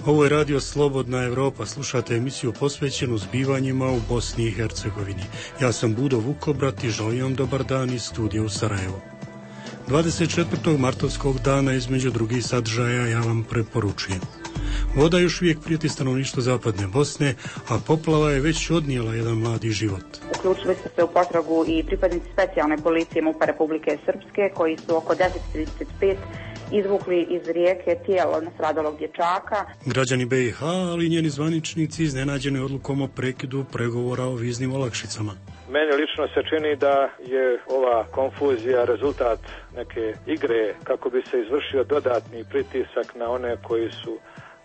Ovo je radio Slobodna Evropa. Slušate emisiju posvećenu zbivanjima u Bosni i Hercegovini. Ja sam Budo Vukobrat i želim vam dobar dan iz studija u Sarajevo. 24. martovskog dana između drugih sadržaja ja vam preporučujem. Voda još uvijek prijeti stanovništvo zapadne Bosne, a poplava je već odnijela jedan mladi život. Uključili su se u potragu i pripadnici specijalne policije MUP-a Republike Srpske, koji su oko 10:35 izvukli iz rijeke tijelo nastradalog dječaka. Građani BiH, ali i njeni zvaničnici iznenađeni odlukom o prekidu pregovora o viznim olakšicama. Meni lično se čini da je ova konfuzija rezultat neke igre kako bi se izvršio dodatni pritisak na one koji su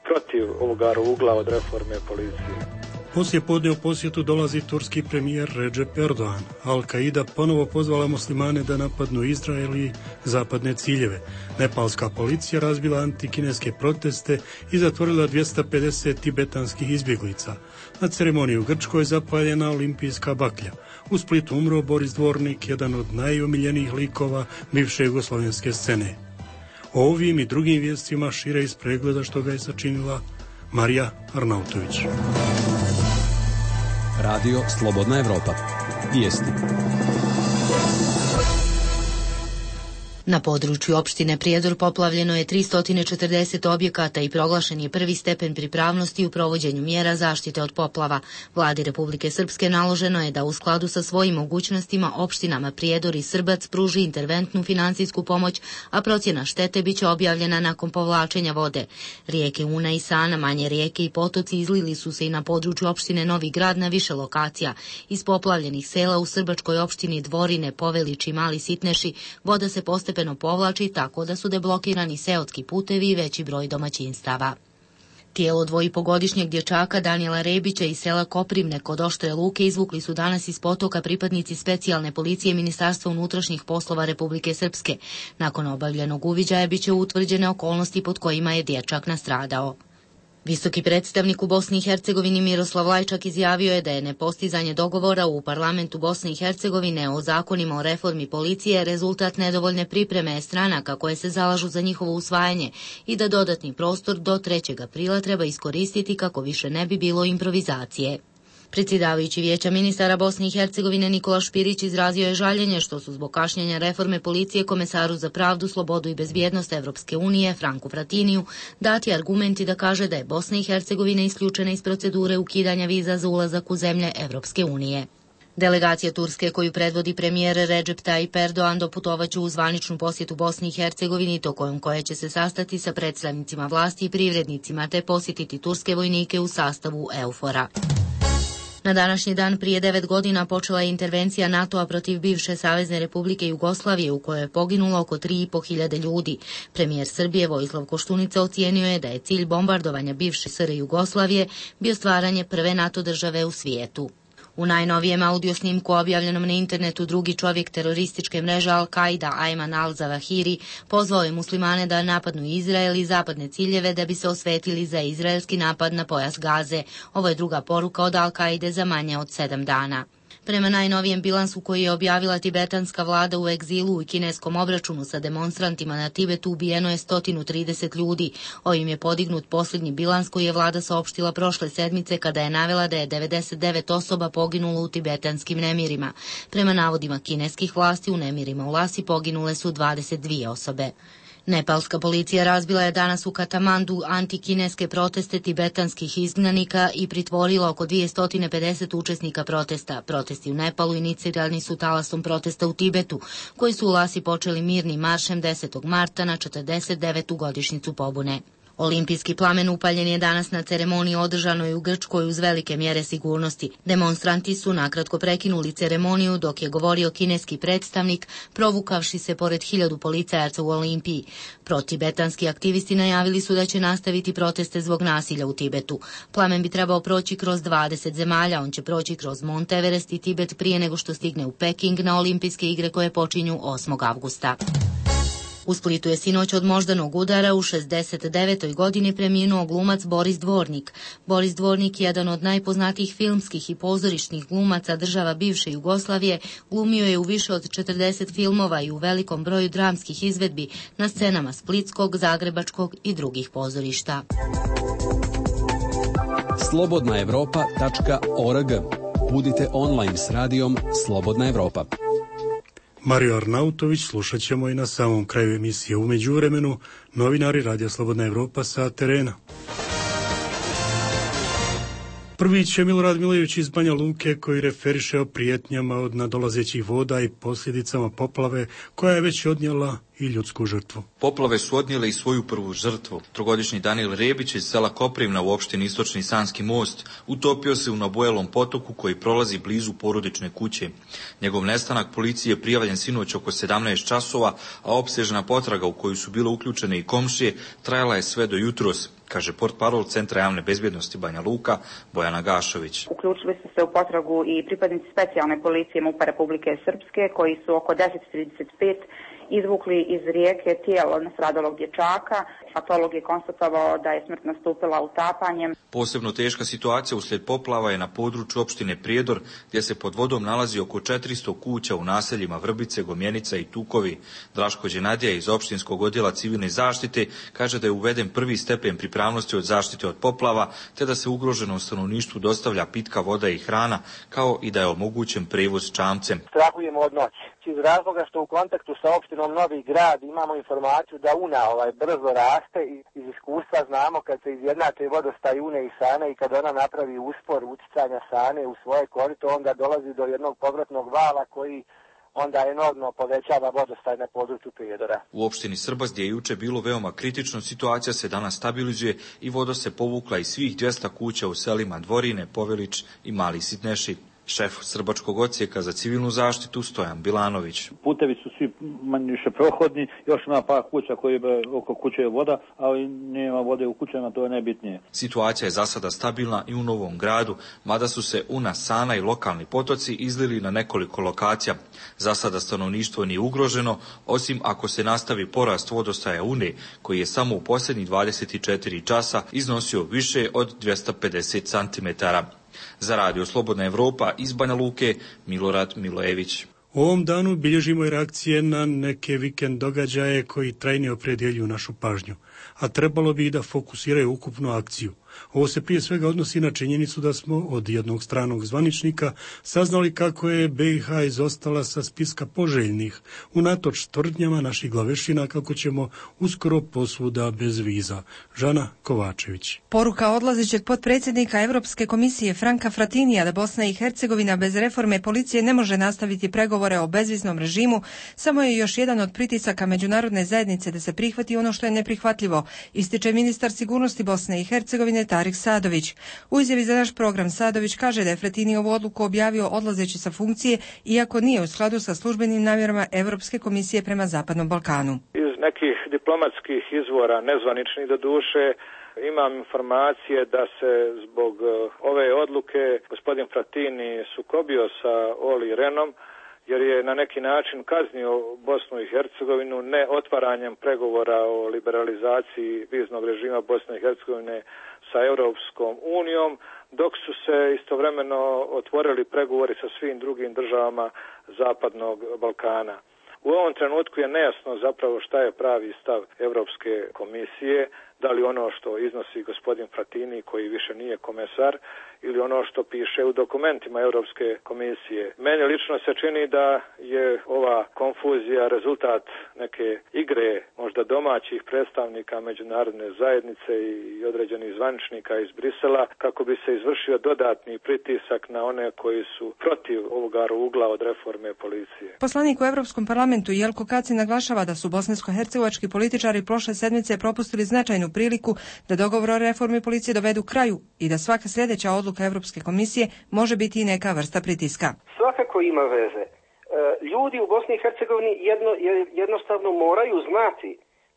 protiv ovoga ugla od reforme policije. Poslije podne u posjetu dolazi turski premijer Recep Erdogan. Al-Qaida ponovo pozvala muslimane da napadnu Izrael i zapadne ciljeve. Nepalska policija razbila antikineske proteste i zatvorila 250 tibetanskih izbjeglica. Na ceremoniji u Grčkoj zapaljena olimpijska baklja. U Splitu umro Boris Dvornik, jedan od najomiljenijih likova bivše jugoslavenske scene. O ovim i drugim vijestima šire iz pregleda što ga je sačinila Marija Arnautović. Radio Slobodna Evropa. Vijesti. Na području opštine Prijedor poplavljeno je 340 objekata i proglašen je prvi stepen pripravnosti u provođenju mjera zaštite od poplava. Vladi Republike Srpske naloženo je da u skladu sa svojim mogućnostima opštinama Prijedor i Srbac pruži interventnu finansijsku pomoć, a procjena štete biće objavljena nakon povlačenja vode. Rijeke Una i Sana, manje rijeke i potoci izlili su se i na području opštine Novi Grad na više lokacija. Iz poplavljenih sela u srbačkoj opštini Dvorine, Povelić i Mali Sitneši voda se postepeno povlači tako da su deblokirani seotski putevi i veći broj domaćinstava. Tijelo 2,5-godišnjeg dječaka Danijela Rebića iz sela Koprivne kod Oštre Luke izvukli su danas iz potoka pripadnici specijalne policije Ministarstva unutrašnjih poslova Republike Srpske. Nakon obavljenog uviđaja biće utvrđene okolnosti pod kojima je dječak nastradao. Visoki predstavnik u Bosni i Hercegovini Miroslav Lajčak izjavio je da je nepostizanje dogovora u parlamentu Bosne i Hercegovine o zakonima o reformi policije rezultat nedovoljne pripreme stranaka koje se zalažu za njihovo usvajanje i da dodatni prostor do 3. aprila treba iskoristiti kako više ne bi bilo improvizacije. Predsjedavajući Vijeća ministara Bosne i Hercegovine Nikola Špirić izrazio je žaljenje što su zbog kašnjenja reforme policije komesaru za pravdu, slobodu i bezbjednost Evropske unije Franku Fratiniju dati argumenti da kaže da je Bosna i Hercegovina isključena iz procedure ukidanja viza za ulazak u zemlje Evropske unije. Delegacija Turske koju predvodi premijer Recep Tayyip Erdogan doputovaće u zvaničnu posjetu Bosni i Hercegovini tokom koje će se sastati sa predstavnicima vlasti i privrednicima te posjetiti turske vojnike u sastavu EUFOR-a. Na današnji dan prije 9 godina počela je intervencija NATO-a protiv bivše Savezne Republike Jugoslavije u kojoj je poginulo oko 3.500 ljudi. Premijer Srbije Vojislav Koštunica ocijenio je da je cilj bombardovanja bivše SR Jugoslavije bio stvaranje prve NATO države u svijetu. U najnovijem audio snimku objavljenom na internetu drugi čovjek terorističke mreže Al-Qaida, Ayman al-Zawahiri, pozvao je muslimane da napadnu Izrael i zapadne ciljeve da bi se osvetili za izraelski napad na pojas Gaze. Ovo je druga poruka od Al-Qaide za manje od 7 dana. Prema najnovijem bilansu koji je objavila tibetanska vlada u egzilu i kineskom obračunu sa demonstrantima na Tibetu ubijeno je 130 ljudi. Ovim je podignut posljednji bilans koji je vlada saopštila prošle sedmice kada je navela da je 99 osoba poginulo u tibetanskim nemirima. Prema navodima kineskih vlasti u nemirima u Lasi poginule su 22 osobe. Nepalska policija razbila je danas u Katamandu antikineske proteste tibetanskih izgnanika i pritvorila oko 250 učesnika protesta. Protesti u Nepalu inicirani su talasom protesta u Tibetu, koji su u Lasi počeli mirnim maršem 10. marta na 49. godišnjicu pobune. Olimpijski plamen upaljen je danas na ceremoniji održanoj u Grčkoj uz velike mjere sigurnosti. Demonstranti su nakratko prekinuli ceremoniju dok je govorio kineski predstavnik, provukavši se pored 1000 policajaca u Olimpiji. Protibetanski aktivisti najavili su da će nastaviti proteste zbog nasilja u Tibetu. Plamen bi trebao proći kroz 20 zemalja, on će proći kroz Mont Everest i Tibet prije nego što stigne u Peking na Olimpijske igre koje počinju 8. avgusta. U Splitu je sinoć od moždanog udara u 69. godini preminuo glumac Boris Dvornik. Boris Dvornik, jedan od najpoznatijih filmskih i pozorišnih glumaca država bivše Jugoslavije, glumio je u više od 40 filmova i u velikom broju dramskih izvedbi na scenama splitskog, zagrebačkog i drugih pozorišta. Slobodnaevropa.org. Budite online s radijom Slobodna Evropa. Mario Arnautović slušat ćemo i na samom kraju emisije. U međuvremenu, novinari Radija Slobodna Evropa sa terena. Prvi će Milorad Milojević iz Banja Luke, koji referiše o prijetnjama od nadolazećih voda i posljedicama poplave koja je već odnijela i ljudsku žrtvu. Poplave su odnijele i svoju prvu žrtvu. Trogodišnji Danijel Rebić iz sela Koprivna u opštini Istočni Sanski most utopio se u nabojelom potoku koji prolazi blizu porodične kuće. Njegov nestanak policiji je prijavljen sinoć oko 17 časova, a opsežna potraga u koju su bile uključene i komšije trajala je sve do jutros, kaže portparol Centra javne bezbjednosti Banja Luka Bojana Gašović. Uključili su se u potragu i pripadnici specijalne policije MUP-a Republike Srpske koji su oko 10:35 izvukli iz rijeke tijelo nastradalog dječaka. Patolog je konstatovao da je smrt nastupila utapanjem. Posebno teška situacija uslijed poplava je na području opštine Prijedor, gdje se pod vodom nalazi oko 400 kuća u naseljima Vrbice, Gomjenica i Tukovi. Draško Đenadija iz opštinskog odjela civilne zaštite kaže da je uveden prvi stepen pripravnosti od zaštite od poplava, te da se ugroženom stanovništvu dostavlja pitka voda i hrana, kao i da je omogućen prevoz čamcem. Strahujemo od noći, iz razloga što u kontaktu sa opštinom Novi Grad imamo informaciju da Una brzo raste i iz iskustva znamo kad se izjednače vodostaj Une i Sane i kad ona napravi uspor uticanja Sane u svoje korito, onda dolazi do jednog povratnog vala koji onda enormno povećava vodostaj na području Prijedora. U opštini Srbas, gdje je juče bilo veoma kritično, situacija se danas stabilizuje i voda se povukla iz svih 200 kuća u selima Dvorine, Povelić i Mali Sitneši. Šef Srbačkog odsjeka za civilnu zaštitu Stojan Bilanović. Putevi su svi manje više prohodni, još ima par kuća koji oko kuće je voda, ali nema vode u kućama, to je najbitnije. Situacija je za sada stabilna i u Novom Gradu, mada su se Una, Sana i lokalni potoci izlili na nekoliko lokacija. Za sada stanovništvo nije ugroženo, osim ako se nastavi porast vodostaja Une, koji je samo u posljednjih 24 časa iznosio više od 250 cm. Za Radio Slobodna Evropa iz Banja Luke, Milorad Milojević. U ovom danu bilježimo i reakcije na neke vikend događaje koji trajnije opredjeljuju našu pažnju, a trebalo bi i da fokusiraju ukupnu akciju. Ovo se prije svega odnosi na činjenicu da smo od jednog stranog zvaničnika saznali kako je BiH izostala sa spiska poželjnih, unatoč tvrdnjama naših glavešina kako ćemo uskoro posvuda bez viza. Žana Kovačević. Poruka odlazećeg potpredsjednika Europske komisije Franka Fratinija da Bosna i Hercegovina bez reforme policije ne može nastaviti pregovore o bezviznom režimu samo je još jedan od pritisaka međunarodne zajednice da se prihvati ono što je neprihvatljivo, ističe ministar sigurnosti Bosne i Hercegovine Tarik Sadović. U izjavi za naš program Sadović kaže da je Fratini ovu odluku objavio odlazeći sa funkcije, iako nije u skladu sa službenim namjerama Europske komisije prema Zapadnom Balkanu. Iz nekih diplomatskih izvora, nezvaničnih doduše, imam informacije da se zbog ove odluke gospodin Fratini sukobio sa Oli Renom, jer je na neki način kaznio Bosnu i Hercegovinu ne otvaranjem pregovora o liberalizaciji viznog režima Bosne i Hercegovine sa Europskom unijom, dok su se istovremeno otvorili pregovori sa svim drugim državama Zapadnog Balkana. U ovom trenutku je nejasno zapravo šta je pravi stav Europske komisije, da li ono što iznosi gospodin Fratini, koji više nije komesar, ili ono što piše u dokumentima Europske komisije. Meni lično se čini da je ova konfuzija rezultat neke igre, možda domaćih predstavnika međunarodne zajednice i određenih zvaničnika iz Brisela, kako bi se izvršio dodatni pritisak na one koji su protiv ovoga rugla od reforme policije. Poslanik u Europskom parlamentu Jelko Kacin naglašava da su bosansko-hercegovački političari prošle sedmice propustili značajnu priliku da dogovor o reformi policije dovedu kraju i da svaka sljedeća odluka Europske komisije može biti i neka vrsta pritiska. Svakako ima veze. Ljudi u Bosni i Hercegovini jednostavno moraju znati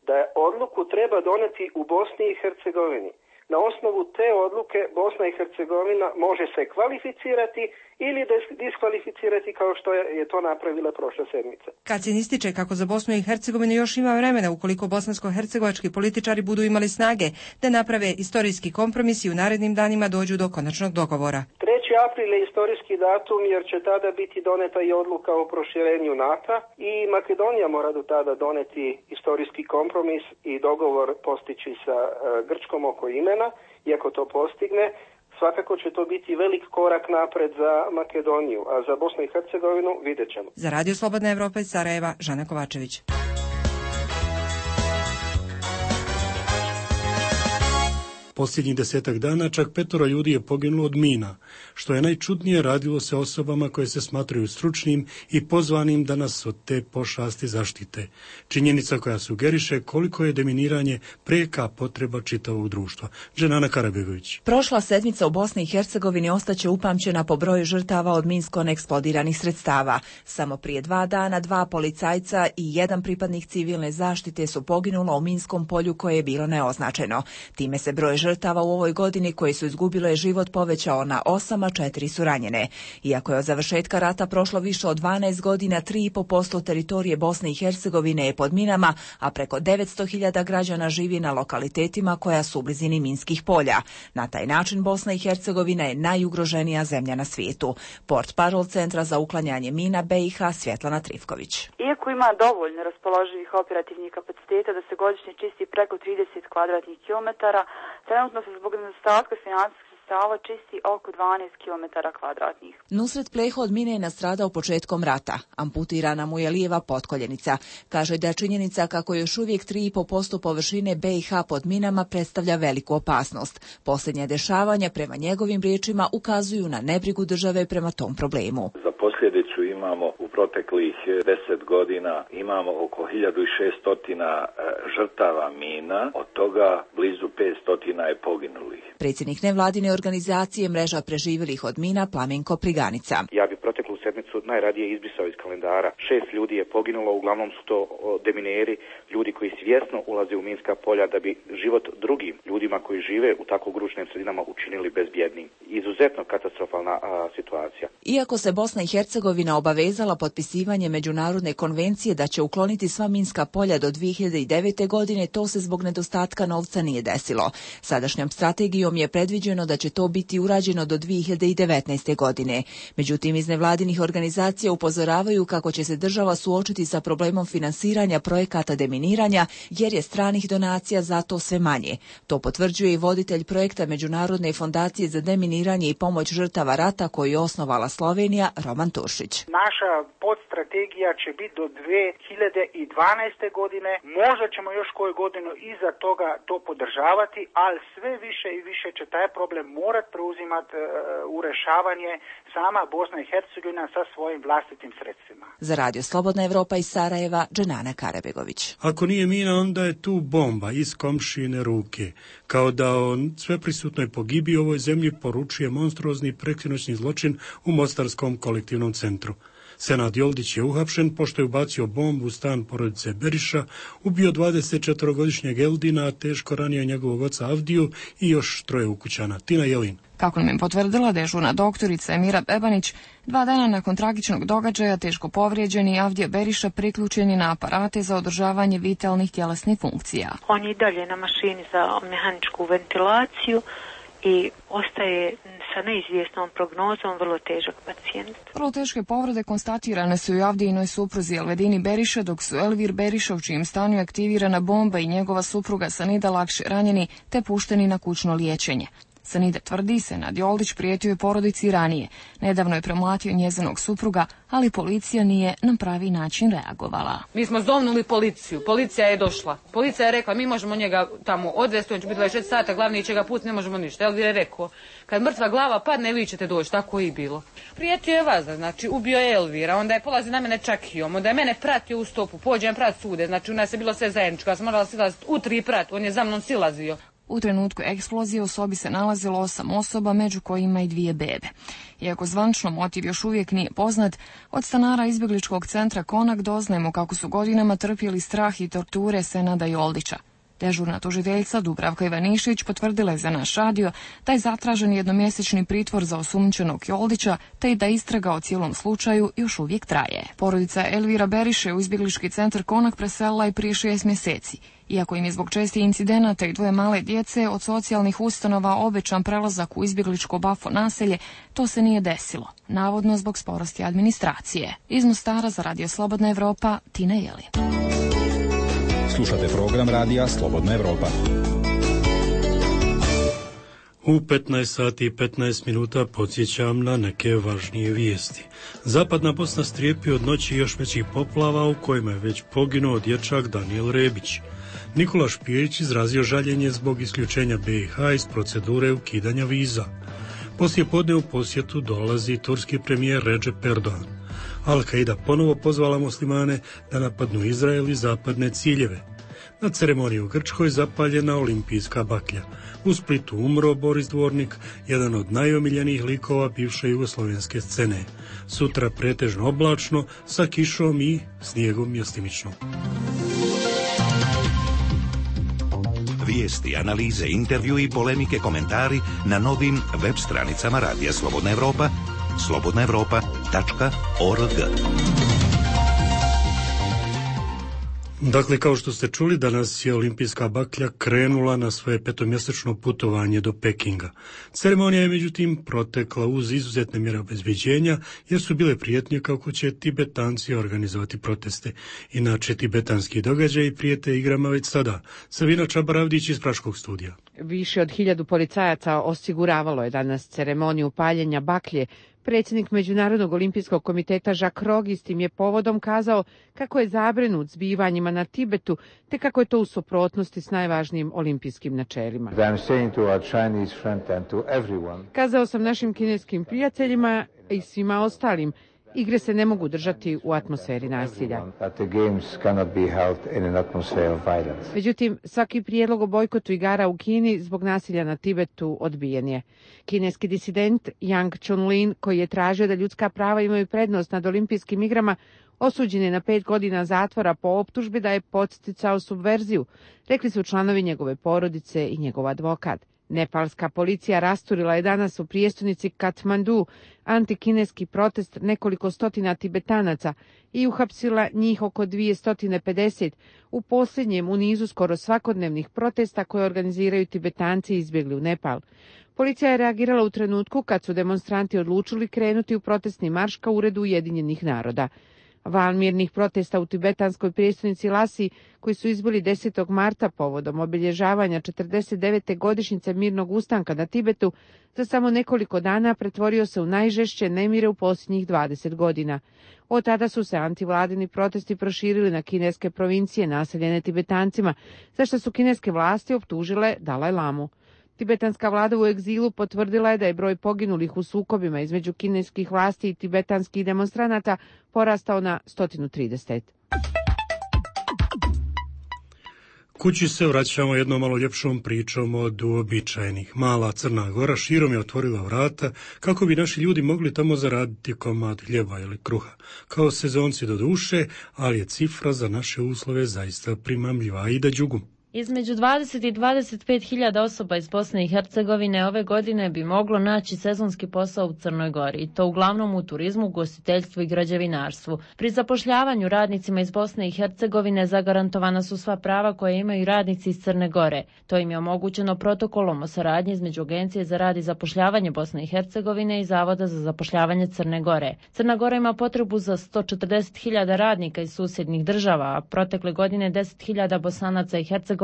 da odluku treba doneti u Bosni i Hercegovini. na osnovu te odluke Bosna i Hercegovina može se kvalificirati ili diskvalificirati kao što je to napravila prošle sedmice. Kacin ističe kako za Bosnu i Hercegovinu još ima vremena ukoliko bosansko-hercegovački političari budu imali snage da naprave istorijski kompromis i u narednim danima dođu do konačnog dogovora. 3. april je istorijski datum jer će tada biti doneta i odluka o proširenju NATO i Makedonija mora do tada doneti istorijski kompromis i dogovor postići sa Grčkom oko imena. Iako to postigne, svakako će to biti velik korak napred za Makedoniju, a za Bosnu i Hercegovinu vidjet ćemo. Za Radio Slobodna Evropa iz Sarajeva, Žana Kovačević. Posljednjih 10 dana čak 5 ljudi je poginulo od mina. Što je najčudnije, radilo se osobama koje se smatraju stručnim i pozvanim da nas od te pošasti zaštite. Činjenica koja sugeriše koliko je deminiranje prijeka potreba čitavog društva. Dženana Karabegović. Prošla sedmica u Bosni i Hercegovini ostaće upamćena po broju žrtava od minsko neeksplodiranih sredstava. Samo prije 2 dana 2 policajca i 1 pripadnik civilne zaštite su poginulo u minskom polju koje je bilo neoznačeno. Time se broj žrtava u ovoj godini koji su izgubile život povećao na 8, a 4 su ranjene. Iako je od završetka rata prošlo više od 12 godina, 3,5% teritorije Bosne i Hercegovine je pod minama, a preko 900.000 građana živi na lokalitetima koja su u blizini minskih polja. Na taj način Bosna i Hercegovina je najugroženija zemlja na svijetu. Portparol Centra za uklanjanje mina BiH Svjetlana Trifković. Iako ima dovoljno raspoloživih operativnih kapaciteta da se godišnje čisti preko 30 kvadratnih kilometara, trenutno se zbog nedostatka financijskih sredstava čisti oko 12 km kvadratnih. Nusret Pleho od mine je nastradao početkom rata. Amputirana mu je lijeva potkoljenica. Kaže da činjenica kako još uvijek 3,5% površine BiH pod minama predstavlja veliku opasnost. Posljednje dešavanja, prema njegovim riječima, ukazuju na nebrigu države prema tom problemu. Za posljedicu imamo u proteklih 10 godina imamo oko 1600 žrtava mina, od toga blizu 500 je poginulih. Predsjednik nevladine organizacije Mreža preživjelih od mina Plamenko Priganica. Ja bi proteklu sedmicu najradije izbrisao iz kalendara. 6 ljudi je poginulo, uglavnom su to demineri, ljudi koji svjesno ulaze u minska polja da bi život drugim ljudima koji žive u tako gručnim sredinama učinili bezbjednim. Izuzetno katastrofalna situacija. Iako se Bosna i Hercegovina obavezala potpisivanje međunarodne konvencije da će ukloniti sva minska polja do 2009. godine, to se zbog nedostatka novca nije desilo. Sadašnjom strategijom je predviđeno da će to biti urađeno do 2019. godine. Međutim, iz nevladinih organizacija upozoravaju kako će se država suočiti sa problemom finansiranja projekata deminiranja, jer je stranih donacija za to sve manje. To potvrđuje i voditelj projekta Međunarodne fondacije za deminiranje i pomoć žrtava rata koju je osnovala Slovenija, Roman Turšić. Naša podstrategija će biti do 2012. godine. Možda ćemo još koju godinu iza toga to podržavati, ali sve više i više će taj problem morat preuzimati u rješavanje sama Bosna i Hercegovina sa svojim vlastitim sredstvima. Za Radio Slobodna Evropa iz Sarajeva, Dženana Karabegović. Ako nije mina, onda je tu bomba iz komšine ruke. Kao da o sveprisutnoj pogibiji u ovoj zemlji poručuje monstruozni preksinoćni zločin u Mostarskom kolektivnom centru. Senad Joldić je uhapšen pošto je ubacio bombu u stan porodice Beriša, ubio 24-godišnjeg Eldina, a teško ranio njegovog oca Avdiju i još 3 ukućana. Tina Jelin. Kako nam je potvrdila dežurna doktorica Emira Bebanić, 2 dana nakon tragičnog događaja teško povrijeđeni Avdija Beriša priključen je na aparate za održavanje vitalnih tjelesnih funkcija. On je i dalje na mašini za mehaničku ventilaciju i ostaje sa neizvjesnom prognozom vrlo težak pacijent. Vrlo teške povrede konstatirane su i Avdijinoj supruzi Elvedini Beriša, dok su Elvir Beriša, u čijem stanu je aktivirana bomba, i njegova supruga Sanida lakše ranjeni te pušteni na kućno liječenje. Sanida tvrdi, Senad Joldić prijetio je porodici ranije. Nedavno je premlatio njezinog supruga, ali policija nije na pravi način reagovala. Mi smo zovnuli policiju, policija je došla. Policija je rekla, mi možemo njega tamo odvesti, on će biti 24 sata, glavni će ga pustiti, ne možemo ništa. Elvir je rekao, kad mrtva glava padne, vi ćete doći, tako i bilo. Prijetio je vas, znači ubio je Elvira, onda je polazi na mene čakijom, onda je mene pratio u stopu, pođem prat sude, znači u nas je bilo sve zajedničko, ja sam morala silaziti u 3 prat, on je za mnom silazio. U trenutku eksplozije u sobi se nalazilo 8 osoba, među kojima i 2 bebe. Iako zvanično motiv još uvijek nije poznat, od stanara izbjegličkog centra Konak doznajemo kako su godinama trpjeli strah i torture Senada Joldića. Dežurna tužiteljica Dubravka Ivanišić potvrdila je za naš radio da je zatražen jednomjesečni pritvor za osumnjičenog Joldića, te i da istraga o cijelom slučaju još uvijek traje. Porodica Elvira Beriše u izbjeglički centar Konak preselila je prije 6 mjeseci. Iako im je zbog čestih incidenata i 2 male djece od socijalnih ustanova obećan prelazak u izbjegličko Bafo naselje, to se nije desilo, navodno zbog sporosti administracije. Iz Mostara za Radio Slobodna Evropa, Tina Jeli. Slušate program Radija Slobodna Evropa. U 15 sati i 15 minuta podsjećam na neke važnije vijesti. Zapadna Bosna strijepi od noći još većih poplava u kojima je već poginuo dječak Danijel Rebić. Nikola Špirić izrazio žaljenje zbog isključenja BiH iz procedure ukidanja viza. Poslije podne u posjetu dolazi turski premijer Recep Erdogan. Al-Qaida ponovo pozvala muslimane da napadnu Izrael i zapadne ciljeve. Na ceremoniji u Grčkoj zapaljena olimpijska baklja. U Splitu umro Boris Dvornik, jedan od najomiljenijih likova bivše jugoslovenske scene. Sutra pretežno oblačno, sa kišom i snijegom mjestimično. Vijesti, analize, intervju i polemike, komentari na novim web stranicama Radija Slobodna Evropa, slobodnaevropa.org. Dakle, kao što ste čuli, danas je olimpijska baklja krenula na svoje 5-mjesečno putovanje do Pekinga. Ceremonija je međutim protekla uz izuzetne mjere obezbeđenja, jer su bile prijetnje kako će Tibetanci organizovati proteste. Inače, tibetanski događaji prijete igrama već sada. Savina Čabaravdić iz Praškog studija. Više od 1000 policajaca osiguravalo je danas ceremoniju paljenja baklje. Predsjednik Međunarodnog olimpijskog komiteta Jacques Rogis tim je povodom kazao kako je zabrinut zbivanjima na Tibetu, te kako je to u suprotnosti s najvažnijim olimpijskim načelima. Kazao sam našim kineskim prijateljima i svima ostalim, igre se ne mogu držati u atmosferi nasilja. Međutim, svaki prijedlog o bojkotu igara u Kini zbog nasilja na Tibetu odbijen je. Kineski disident Yang Chunlin, koji je tražio da ljudska prava imaju prednost nad olimpijskim igrama, osuđen je na 5 godina zatvora po optužbi da je podsticao subverziju, rekli su članovi njegove porodice i njegov advokat. Nepalska policija rasturila je danas u prijestolnici Katmandu antikineski protest nekoliko stotina Tibetanaca i uhapsila njih oko 250 u posljednjem u nizu skoro svakodnevnih protesta koje organiziraju Tibetanci izbjegli u Nepal. Policija je reagirala u trenutku kad su demonstranti odlučili krenuti u protestni marš ka uredu Ujedinjenih naroda. Val mirnih protesta u tibetanskoj prijestolnici Lasi, koji su izbili 10. marta povodom obilježavanja 49. godišnjice mirnog ustanka na Tibetu, za samo nekoliko dana pretvorio se u najžešće nemire u posljednjih 20 godina. Od tada su se antivladini protesti proširili na kineske provincije naseljene Tibetancima, za što su kineske vlasti optužile Dalaj Lamu. Tibetanska vlada u egzilu potvrdila je da je broj poginulih u sukobima između kineskih vlasti i tibetanskih demonstranata porastao na 130. Kući se vraćamo jednom malo ljepšom pričom od uobičajenih. Mala Crna Gora širom je otvorila vrata kako bi naši ljudi mogli tamo zaraditi komad hljeba ili kruha. Kao sezonci do duše, ali je cifra za naše uslove zaista primamljiva. Ida Đugum. Između 20 i 25 hiljada osoba iz Bosne i Hercegovine ove godine bi moglo naći sezonski posao u Crnoj Gori, i to uglavnom u turizmu, ugostiteljstvu i građevinarstvu. Pri zapošljavanju radnicima iz Bosne i Hercegovine zagarantovana su sva prava koje imaju radnici iz Crne Gore. To im je omogućeno protokolom o saradnji između Agencije za rad i zapošljavanje Bosne i Hercegovine i Zavoda za zapošljavanje Crne Gore. Crna Gora ima potrebu za 140.000 radnika iz susjednih država, a protekle godine 10.000 Bosanaca i Hercegovaca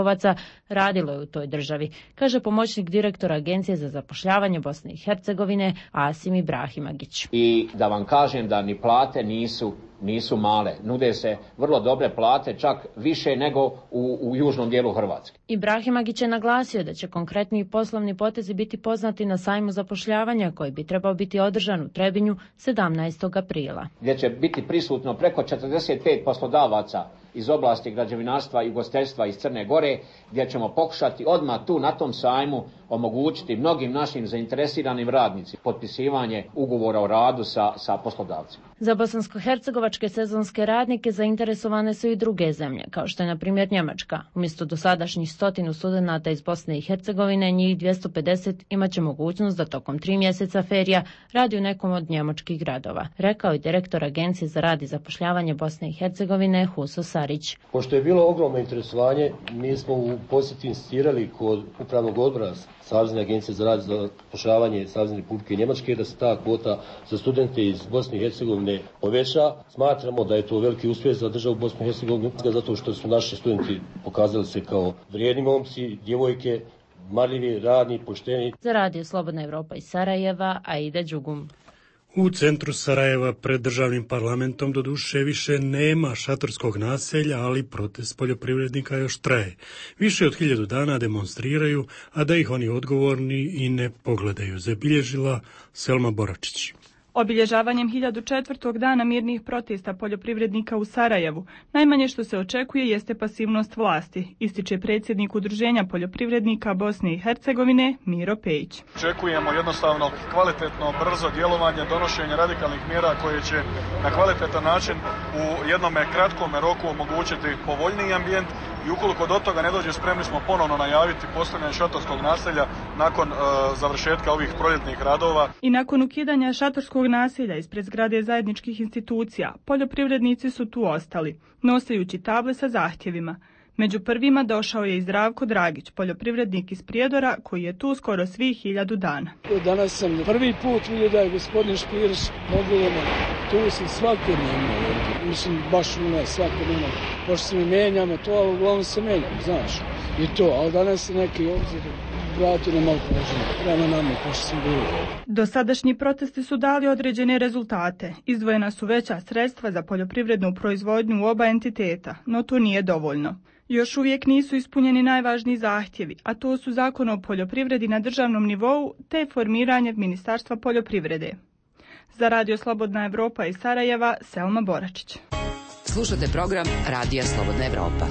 radilo je u toj državi, kaže pomoćnik direktora Agencije za zapošljavanje Bosne i Hercegovine Asim Ibrahimagić. I da vam kažem da ni plate nisu male. Nude se vrlo dobre plate, čak više nego u južnom dijelu Hrvatske. Ibrahimagić je naglasio da će konkretni poslovni potezi biti poznati na sajmu zapošljavanja koji bi trebao biti održan u Trebinju 17. aprila. Gdje će biti prisutno preko 45 poslodavaca iz oblasti građevinarstva i ugostiteljstva iz Crne Gore, gdje ćemo pokušati odmah tu na tom sajmu omogućiti mnogim našim zainteresiranim radnicima potpisivanje ugovora o radu sa poslodavcima. Za bosansko-hercegovačke sezonske radnike zainteresovane su i druge zemlje, kao što je na primjer Njemačka. Umjesto dosadašnjih 100 studenata iz Bosne i Hercegovine, njih 250 imat će mogućnost da tokom 3 mjeseca ferija radi u nekom od njemačkih gradova, rekao je direktor Agencije za rad i zapošljavanje Bosne i Hercegovine Huso Sarić. Pošto je bilo ogromno interesovanje, mi smo u posjeti insistirali kod upravnog odbora Savezne agencije za rad i zapošljavanje Savezne Republike Njemačke da se ta kvota za studente iz Bosne i Hercegovine poveća. Smatramo da je to veliki uspjeh za državu Bosne i Hercegovine, zato što su naši studenti pokazali se kao vrijedni momci, djevojke, marljivi, radni, pošteni. Za Radio Slobodna Evropa iz Sarajeva, Aida Đugum. U centru Sarajeva pred državnim parlamentom doduše više nema šatorskog naselja, ali protest poljoprivrednika još traje. Više od 1000 dana demonstriraju, a da ih oni odgovorni i ne pogledaju, zabilježila Selma Boračić. Obilježavanjem 1004. dana mirnih protesta poljoprivrednika u Sarajevu, najmanje što se očekuje jeste pasivnost vlasti, ističe predsjednik Udruženja poljoprivrednika Bosne i Hercegovine Miro Pejić. Očekujemo jednostavno kvalitetno, brzo djelovanje, donošenje radikalnih mjera koje će na kvalitetan način u jednom kratkom roku omogućiti povoljniji ambijent i ukoliko do toga ne dođe, spremni smo ponovno najaviti postavljanje šatorskog naselja nakon završetka ovih proljetnih radova. I nakon ukidanja šatorskog naselja ispred zgrade zajedničkih institucija, poljoprivrednici su tu ostali, nosajući table sa zahtjevima. Među prvima došao je i Zdravko Dragić, poljoprivrednik iz Prijedora, koji je tu skoro svih 1000 dana. Danas sam prvi put vidio da je gospodin Špirić mobilno. Tu sam svakodnevno, mislim baš svakodnevno. Pošto se mi menjamo to, ali uglavnom se menjamo, znaš. I to, ali danas se neki obzir vrati na malo poželjno, prema nama, pošto sam bilo. Dosadašnji protesti su dali određene rezultate. Izdvojena su veća sredstva za poljoprivrednu proizvodnju u oba entiteta, no to nije dovoljno. Još uvijek nisu ispunjeni najvažniji zahtjevi, a to su Zakon o poljoprivredi na državnom nivou te formiranje Ministarstva poljoprivrede. Za Radio Slobodna Evropa iz Sarajeva, Selma Boračić. Slušate program Radija Slobodna Evropa.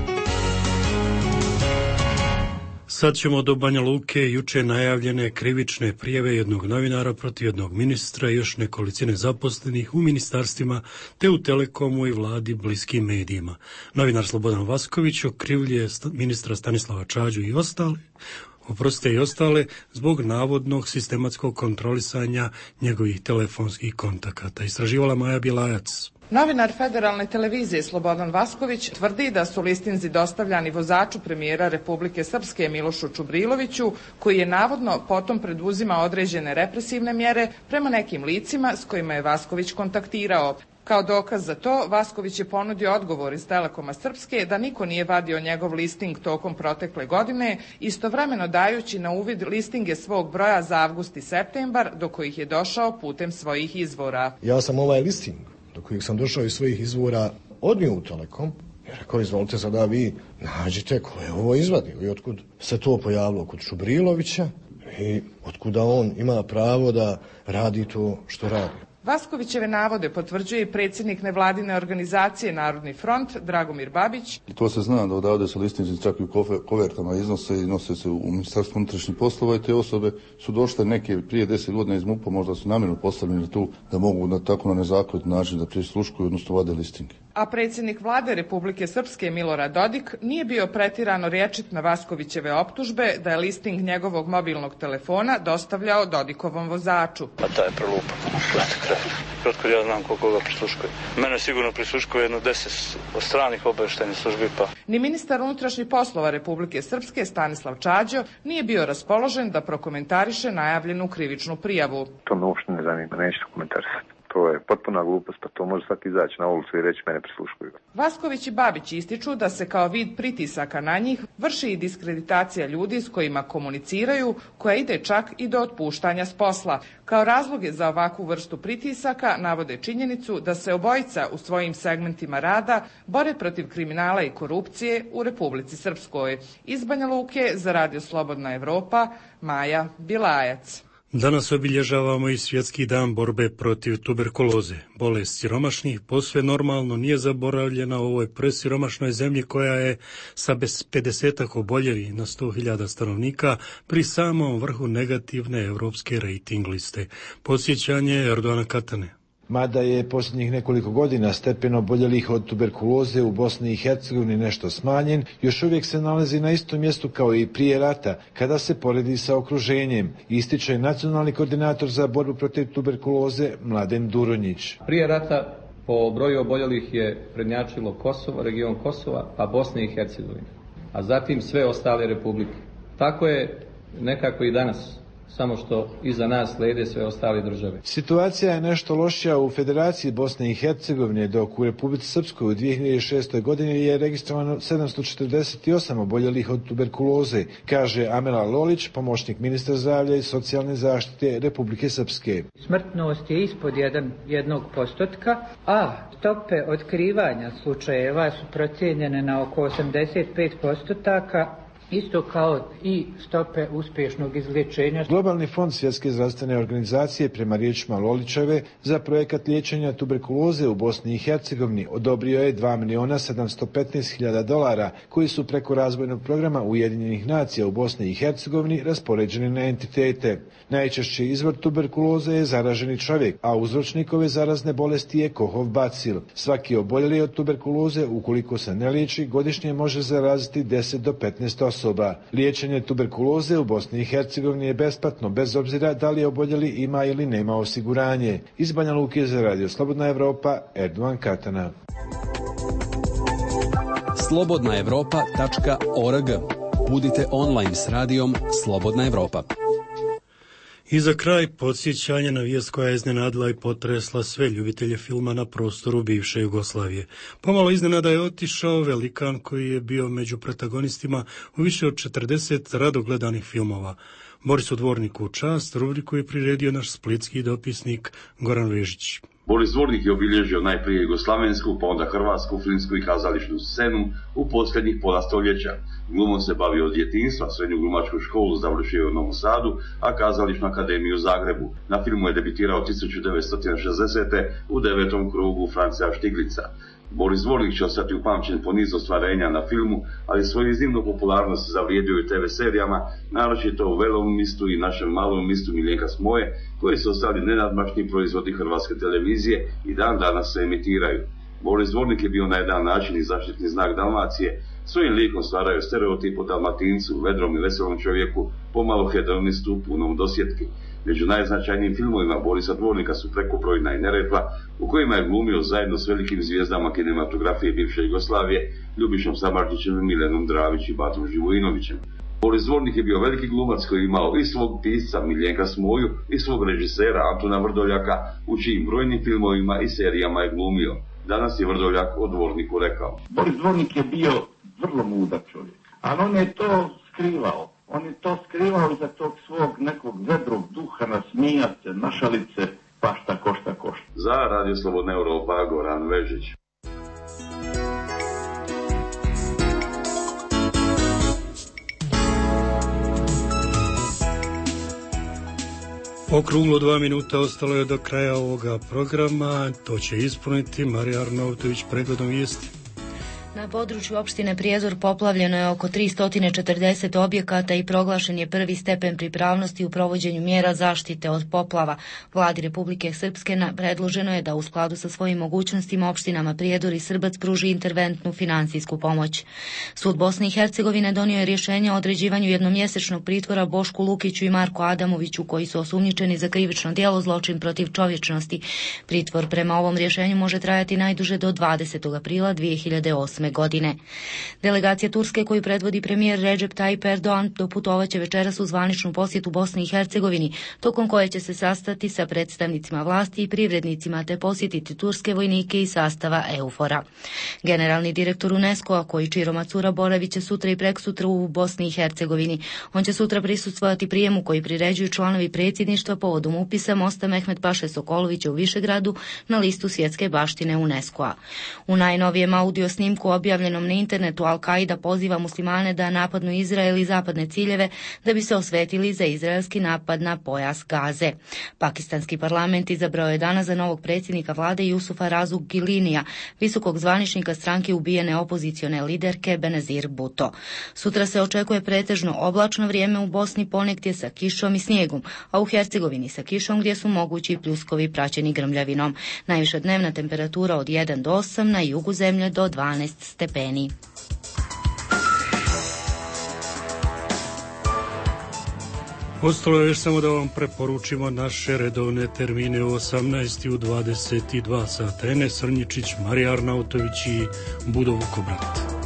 Sad ćemo do Banja Luke. Juče najavljene krivične prijave jednog novinara protiv jednog ministra i još nekolicine zaposlenih u ministarstvima te u Telekomu i vladi bliskim medijima. Novinar Slobodan Vasković okrivljuje ministra Stanislava Čađu i ostale zbog navodnog sistematskog kontrolisanja njegovih telefonskih kontakata. Istraživala Maja Bilajac. Novinar Federalne televizije Slobodan Vasković tvrdi da su listinzi dostavljani vozaču premijera Republike Srpske Milošu Čubriloviću, koji je navodno potom preduzima određene represivne mjere prema nekim licima s kojima je Vasković kontaktirao. Kao dokaz za to, Vasković je ponudio odgovor iz Telekoma Srpske da niko nije vadio njegov listing tokom protekle godine, istovremeno dajući na uvid listinge svog broja za avgust i septembar, do kojih je došao putem svojih izvora. Ja sam ovaj listing do kojih sam došao iz svojih izvora odnio u Telekom i rekao, izvolite sada vi nađite ko je ovo izvadio i otkud se to pojavilo kod Čubrilovića i otkuda on ima pravo da radi to što radi. Vaskovićeve navode potvrđuje i predsjednik nevladine organizacije Narodni front Dragomir Babić. To se zna da odavde se listinzi čak i u kovertama iznose i nose se u Ministarstvo unutrašnjih poslova i te osobe su došle neke prije 10 godina iz MUP-a, možda su namjerno postavljeni tu da mogu tako na nezakonit način da prisluškuju, odnosno vade listinge. A predsjednik vlade Republike Srpske Milorad Dodik nije bio pretirano rječit na Vaskovićeve optužbe da je listing njegovog mobilnog telefona dostavljao Dodikovom vozaču. A taj je prelupan. Kratko ja znam koliko ga prisluškuje. Mene sigurno prisluškuje jedno 10 stranih obavještajnih službi pa. Ni ministar unutrašnjih poslova Republike Srpske Stanislav Čađo nije bio raspoložen da prokomentariše najavljenu krivičnu prijavu. To me uopšte ne zanima, neću komentarisati. To je potpuna glupost, pa to može svaki izaći na ulicu i reći mene prisluškuju. Vasković i Babić ističu da se kao vid pritisaka na njih vrši i diskreditacija ljudi s kojima komuniciraju, koja ide čak i do otpuštanja s posla. Kao razloge za ovakvu vrstu pritisaka navode činjenicu da se obojica u svojim segmentima rada bore protiv kriminala i korupcije u Republici Srpskoj. Iz Banja Luke za Radio Slobodna Evropa, Maja Bilajac. Danas obilježavamo i Svjetski dan borbe protiv tuberkuloze. Bolest siromašnih posve normalno nije zaboravljena u ovoj presiromašnoj zemlji koja je sa 50 oboljelih na 100.000 stanovnika pri samom vrhu negativne europske rating liste. Podsjećanje Erdogana Katane. Mada je posljednjih nekoliko godina stepen oboljelih od tuberkuloze u Bosni i Hercegovini nešto smanjen, još uvijek se nalazi na istom mjestu kao i prije rata, kada se poredi sa okruženjem, ističe nacionalni koordinator za borbu protiv tuberkuloze Mladen Duronjić. Prije rata po broju oboljelih je prednjačilo Kosovo, region Kosova, pa Bosne i Hercegovine, a zatim sve ostale republike. Tako je nekako i danas, samo što iza nas slijede sve ostale države. Situacija je nešto lošija u Federaciji Bosne i Hercegovine, dok u Republici Srpskoj u 2006. godini je registrovano 748 oboljelih od tuberkuloze, kaže Amela Lolić, pomoćnik ministra zdravlja i socijalne zaštite Republike Srpske. Smrtnost je ispod 1%, a stope otkrivanja slučajeva su procijenjene na oko 85%, isto kao i stope uspješnog izlječenja. Globalni fond Svjetske zdravstvene organizacije, prema riječima Lolićeve, za projekat liječenja tuberkuloze u Bosni i Hercegovini odobrio je $2.715.000 koji su preko razvojnog programa Ujedinjenih nacija u Bosni i Hercegovini raspoređeni na entitete. Najčešći izvor tuberkuloze je zaraženi čovjek, a uzročnik ove zarazne bolesti je Kohov bacil. Svaki oboljeli od tuberkuloze, ukoliko se ne liječi, godišnje može zaraziti 10 do 15 osoba. Liječenje tuberkuloze u Bosni i Hercegovini je besplatno, bez obzira da li oboljeli ima ili nema osiguranje. Iz Banja Luke za Radio Slobodna Evropa, Erdovan Katana. slobodnaevropa.org. Budite online s radijom Slobodna Evropa. I za kraj podsjećanje na vijest koja je iznenadila i potresla sve ljubitelje filma na prostoru bivše Jugoslavije. Pomalo iznenada je otišao velikan koji je bio među protagonistima u više od 40 rado gledanih filmova. Borisu Dvorniku u čast, rubriku je priredio naš splitski dopisnik Goran Vežić. Boris Dvornik je obilježio najprije jugoslavensku, pa onda hrvatsku, filmsku i kazališnu scenu u posljednjih pola stoljeća. Glumom se bavio od djetinjstva, srednju glumačku školu završio u Novom Sadu, a kazališnu akademiju u Zagrebu. Na filmu je debitirao 1960. u 9. krugu Francija Štiglica. Boris Dvornik će ostati upamćen po nizu ostvarenja na filmu, ali svoju iznimnu popularnost zavrijedio i TV serijama, naročito u Velovom mistu i Našem malom mistu Miljenka Smoje, koji su ostali nenadmašni proizvodi hrvatske televizije i dan danas se emitiraju. Boris Dvornik je bio na jedan način i zaštitni znak Dalmacije, svojim likom stvaraju stereotip o Dalmatincu, vedrom i veselom čovjeku, pomalo hedonistu, punom dosjetki. Među najznačajnijim filmovima Borisa Dvornika su Prekobrojna i Neretva, u kojima je glumio zajedno s velikim zvijezdama kinematografije bivše Jugoslavije, Ljubišom Samardžićem, Milenom Dravić i Batom Živojinovićem. Boris Dvornik je bio veliki glumac koji je imao i svog pisca Miljenka Smoju i svog režisera Antuna Vrdoljaka, u čijim brojnim filmovima i serijama je glumio. Danas je Vrdoljak o Dvorniku rekao: Boris Dvornik je bio vrlo mudar čovjek, ali on je to skrivao. On je to skrivao iza tog svog nekog vedrog duha, nasmijat se, našalit se, pa šta košta. Za Radio Slobodna Evropa, Goran Vežić. Okruglo 2 minuta ostalo je do kraja ovoga programa. To će ispuniti Marija Arnautović pregledom vijesti. Na području opštine Prijedor poplavljeno je oko 340 objekata i proglašen je prvi stepen pripravnosti u provođenju mjera zaštite od poplava. Vladi Republike Srpske predloženo je da u skladu sa svojim mogućnostima opštinama Prijedor i Srbac pruži interventnu finansijsku pomoć. Sud Bosne i Hercegovine donio je rješenje o određivanju jednomjesečnog pritvora Bošku Lukiću i Marku Adamoviću, koji su osumnjičeni za krivično djelo zločin protiv čovječnosti. Pritvor prema ovom rješenju može trajati najduže do 20. aprila 2008. godine. Delegacija Turske koju predvodi premijer Recep Tayyip Erdogan doputovaće večeras u zvaničnu posjetu Bosni i Hercegovini, tokom koje će se sastati sa predstavnicima vlasti i privrednicima te posjetiti turske vojnike iz sastava EUFOR-a. Generalni direktor UNESCO-a Kojičiro Macura boravit će sutra i preksutra u Bosni i Hercegovini. On će sutra prisustvovati prijemu koji priređuju članovi predsjedništva povodom upisa mosta Mehmet Paše Sokolovića u Višegradu na listu svjetske baštine UNESCO-a. U najnovijem audio snimku objavljenom na internetu Al-Qaida poziva muslimane da napadnu Izrael i zapadne ciljeve da bi se osvetili za izraelski napad na pojas Gaze. Pakistanski parlament izabrao je danas za novog predsjednika vlade Yusufa Razu Gilinija, visokog zvaničnika stranke ubijene opozicione liderke Benazir Bhutto. Sutra se očekuje pretežno oblačno vrijeme u Bosni, ponegdje sa kišom i snijegom, a u Hercegovini sa kišom gdje su mogući pljuskovi praćeni grmljavinom. Najviša dnevna temperatura od 1 do 8, na jugu zemlje do 12 stepeni. Ostalo je još samo da vam preporučimo naše redovne termine u 18 i u 22 sata. Enes Srnjičić, Marija Arnautović i Budo Vukobrat.